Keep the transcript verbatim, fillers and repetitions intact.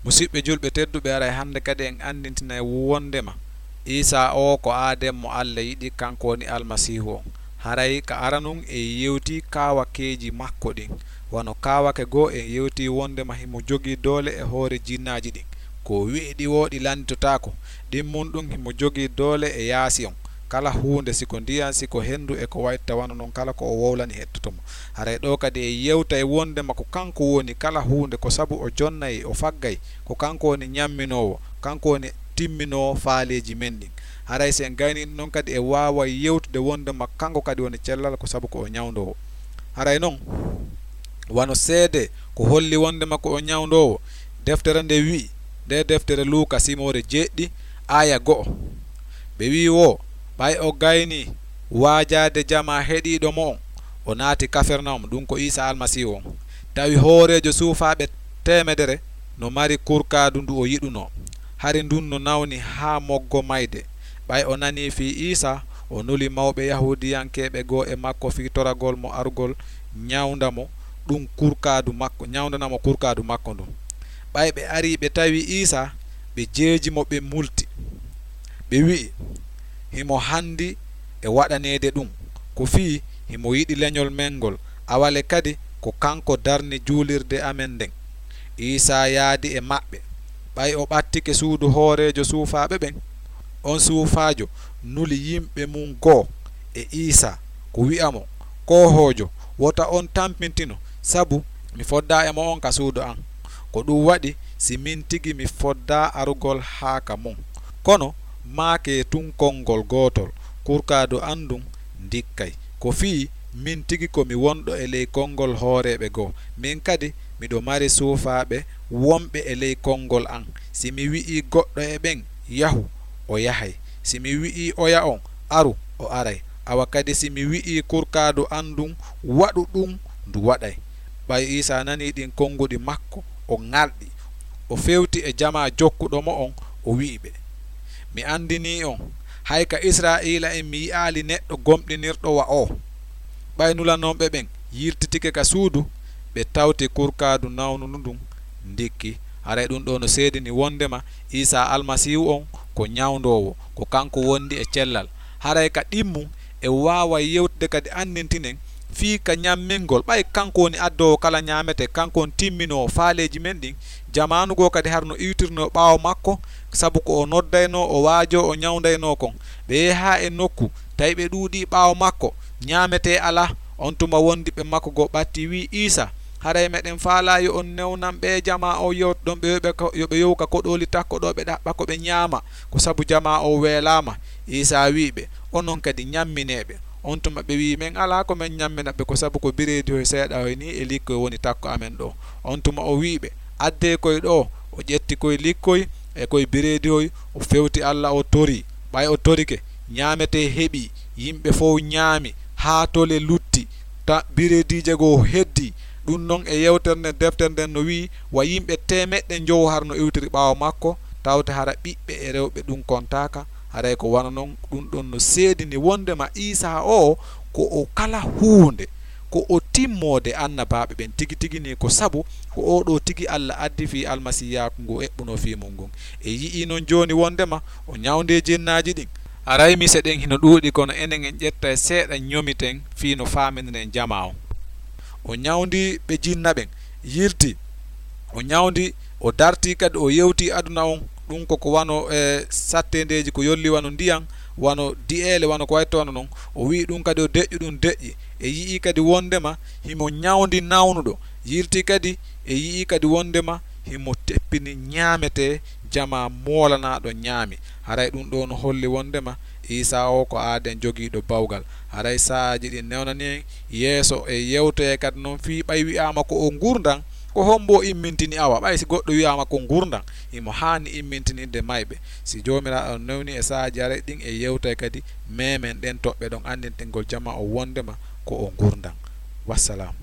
Musiɓɓe julɓe tedduɓe, aray hannde kadi en anndintinay wondema Iisaa oo ko aaden mo Alla yiɗi, kanko woni Almasiihu on. Haray ka aranun en yewtii kaawakeeji makko ɗin. Wano kaawake goo en yewtii wondema himo jogii doole e hoore jinnaaji ɗin. Ko o wi'i ɗi woo ɗi lannditotaako, ɗin mun ɗun himo jogii doole e yaasi on. Kala huunde, si ko ndiyan, si ko henndu e ko wa'itta wano non, kala ko o wowlani hettoto mo. Haray ɗoo kadi en yewtay wondema ko kanko woni kala huunde, ko sabu o jonnay, o faggay, ko kanko woni ñamminoowo, kanko woni timminoowo faaleeji men ɗin. Haray si en gaynii ɗun non kadi en waaway yewtude wondema kanko kadi woni cellal, ko sabu ko o ñawndoowo. Haray non, wano seedee ko holli wondema ko o ñawndoowo, deftere nden wi'i, ndee deftere Luuka simoore jeeɗiɗi, aaya go'o. Ɓe wi'i woo, ɓay o gaynii waajaade jamaa heɗiiɗo mo on, o naati Kafernawum, ɗun ko Iisaa Almasiihu on. Tawi hooreejo suufaaɓe teemedere no mari kurkaadu ndu o yiɗunoo. Hari ndun no nawni haa moggo mayde. Ɓay o nanii fii Iisaa, o nuli mawɓe Yahuudiyankeeɓe goo e makko fii toragol mo arugol ñawnda mo ɗun kurkaadu makko, ñawndana mo kurkaadu makko ndun. Ɓay ɓe arii ɓe tawi Iisaa, ɓe jeeji mo, ɓe multi. Ɓe wi'i, "Himo hanndi e waɗaneede ɗun, ko fii himo yiɗi leñol men ngol, awale kadi ko kanko darni juulirde amen nden." Iisaa yaadi e maɓɓe, ɓay o ɓattike suudu hooreejo suufaaɓe ɓen. On suufaajo nuli yimɓe mun goo e Iisaa, ko wi'a mo, "Koohoojo, wota on tampintino, sabu mi foddaa e mo'on ka suudu an. Ko ɗun waɗi si min tigi mi foddaa arugol haa ka mon. Kono maakee tun konngol gootol, kurkaadu an ndun ndikkay. Ko fii min tigi ko mi wonɗo e ley konngol hooreeɓe goo. Min kadi miɗo mari suufaaɓe wonɓe e ley konngol an. Si mi wi'ii goɗɗo e ɓen, 'Yahu,' o yahay. Si mi wi'ii oya on, 'Aru,' o aray. Awa kadi si mi wi'ii kurkaadu an ndun, 'Waɗu ɗun,' ndu waɗay." Ɓay Iisaa nanii ɗin konguɗi makko, o ŋalɗi. O fewti e jamaa jokkuɗo mo on, o wi'i ɓe, "Mi andinii on, hay ka Israa'iila'en mi yi'aali neɗɗo gomɗinirɗo wa oo." Ɓay nulanooɓe ɓen yiltitike ka suudu, ɓe tawti kurkaadu nawnundu ndun ndikki. Haray ɗun ɗoo no seedini wondema Iisaa Almasiihu on ko ñawndoowo, ko kanko wondi e cellal. Haray ka ɗimmun, en waaway yewtude kadi anndintinen fii ka ñammingol, ɓay kanko woni addoowo kala ñaametee, kanko woni timminoowo faaleeji men ɗin. Jamaanu goo kadi hara no iwtirnoo ɓaawo makko, sabu ko o noddaynoo, o waajoo, o ñawndaynoo kon. Ɓe yehi haa e nokku, tawi ɓe ɗuuɗii ɓaawo makko, ñaametee alaa. On tuma wondiɓɓe makko goo ɓattii, wi'i Iisaa, "Haray meɗen faalaa yo on newnan ɓee jamaa oo yewtuɗon ɓe, yo ɓe ko, yo ɓe yowu ka koɗooli takko ɗoo, ɓe ɗaɓɓa ko ɓe ñaama, ko sabu jamaa oo weelaama." Iisaa wi'i ɓe, "Onon kadi ñamminee ɓe." On tuma ɓe wi'i, "Men alaa ko men ñammina ɓe, ko sabu ko bireedihoy seeɗahoy nii e likkoy woni takko amen ɗoo." On tuma o wi'i ɓe, "Addee koy ɗoo." O ƴetti koy likkoy e koy bireedihoy, o fewti Alla, o torii. Ɓay o torike, ñaametee heɓii, yimɓe fow ñaami, haa tole lutti, ta bireediije goo heddii. Ɗun non e yewtere nden, deftere nden no wi'i, wa yimɓe teemeɗɗe njowo hara no iwtiri ɓaawo makko, tawte hara ɓiɓɓe e rewɓe ɗun kontaaka. Haray ko wano non, ɗun ɗon no seedini wondema Iisaa oo ko o kala huunde, ko o timmoode annabaaɓe ɓen tigi tigi nii, ko sabu ko oo ɗoo tigi Alla addi fii almasiiyaaku ngu eɓɓunoo fii mun ngun. E yi'ii non jooni wondema o ñawndii jinnaaji ɗin. Aray mise ɗen hino ɗuuɗi, kono enen en ƴettay seeɗa ñomiten fii no faaminiren jamaa on. O ñawndii ɓe jinna ɓen, yilti. O ñawndi, o dartii kadi, o yewtii aduna on. Ɗun ko, ko wano, e, satteendeeji ko yolli wano ndiyan, wano di'eele, wano ko wayi wano non. O wi'i ɗun kadi o deƴƴu, ɗun deƴƴi. E yi'ii kadi wondema himo ñawndi nawnuɗo. Yiltii kadi, e yi'ii kadi wondema himo teppini ñaametee, jamaa moolanaaɗo ñaami. Haray ɗun ɗoo no holli wondema Iisaa oo ko aaden jogiiɗo bawgal. Haray saa'aaji ɗin newnani en yeeso e yewtoye kadi non fii ɓay wi'aama ko o ngurndan, ko hombo o immintini? Awa, ɓay si goɗɗo wi'aama ko ngurndan, himo haani immintininde mayɓe. Si Joomiraaɗo newni e saa'aaji aray ɗin e yewtoye kadi, meemen ɗen toɓɓe ɗon anndintingol jamaa on wondema ko o ngurndan. Wassalaamu.